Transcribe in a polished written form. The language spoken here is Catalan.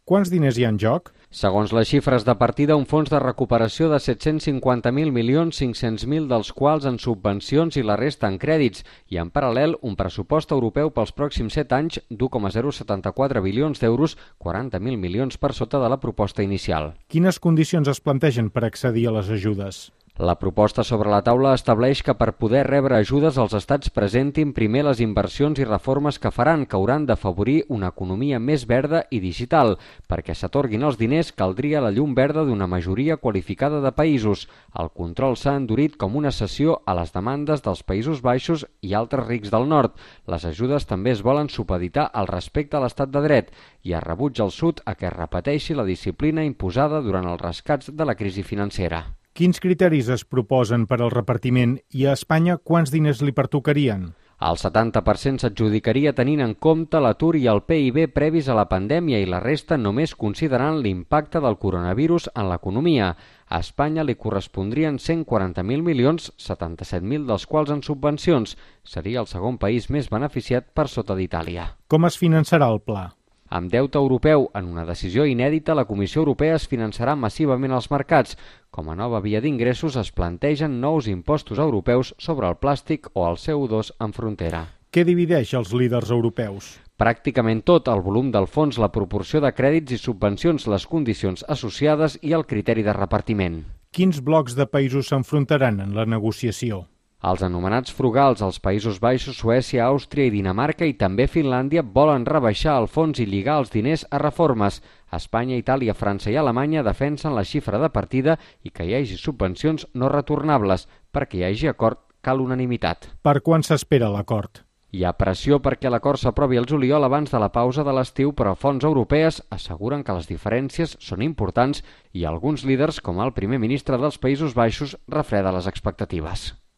Quants diners hi ha en joc? Segons les xifres de partida, un fons de recuperació de 750.500.000 dels quals en subvencions i la resta en crèdits, i en paral·lel un pressupost europeu pels pròxims 7 anys d'1,074 bilions d'euros, 40.000 milions per sota de la proposta inicial. Quines condicions es plantegen per accedir a les ajudes? La proposta sobre la taula estableix que per poder rebre ajudes els estats presentin primer les inversions i reformes que faran, que hauran d'afavorir una economia més verda i digital. Perquè s'atorguin els diners caldria la llum verda d'una majoria qualificada de països. El control s'ha endurit com una cessió a les demandes dels Països Baixos i altres rics del nord. Les ajudes també es volen supeditar al respecte a l'estat de dret i es rebutja al sud a que es repeteixi la disciplina imposada durant els rescats de la crisi financera. Quins criteris es proposen per al repartiment i a Espanya quants diners li pertocarien? El 70% s'adjudicaria tenint en compte l'atur i el PIB previs a la pandèmia i la resta només considerant l'impacte del coronavirus en l'economia. A Espanya li correspondrien 140.000 milions, 77.000 dels quals en subvencions. Seria el segon país més beneficiat per sota d'Itàlia. Com es finançarà el pla? Amb deute europeu, en una decisió inèdita, la Comissió Europea es finançarà massivament als mercats. Com a nova via d'ingressos es plantegen nous impostos europeus sobre el plàstic o el CO2 en frontera. Què divideix els líders europeus? Pràcticament tot, el volum del fons, la proporció de crèdits i subvencions, les condicions associades i el criteri de repartiment. Quins blocs de països s'enfrontaran en la negociació? Els anomenats frugals, els Països Baixos, Suècia, Àustria i Dinamarca i també Finlàndia volen rebaixar el fons i lligar els diners a reformes. Espanya, Itàlia, França i Alemanya defensen la xifra de partida i que hi hagi subvencions no retornables. Perquè hi hagi acord cal unanimitat. Per quan s'espera l'acord? Hi ha pressió perquè l'acord s'aprovi al juliol abans de la pausa de l'estiu, però fonts europees asseguren que les diferències són importants i alguns líders, com el primer ministre dels Països Baixos, refreda les expectatives.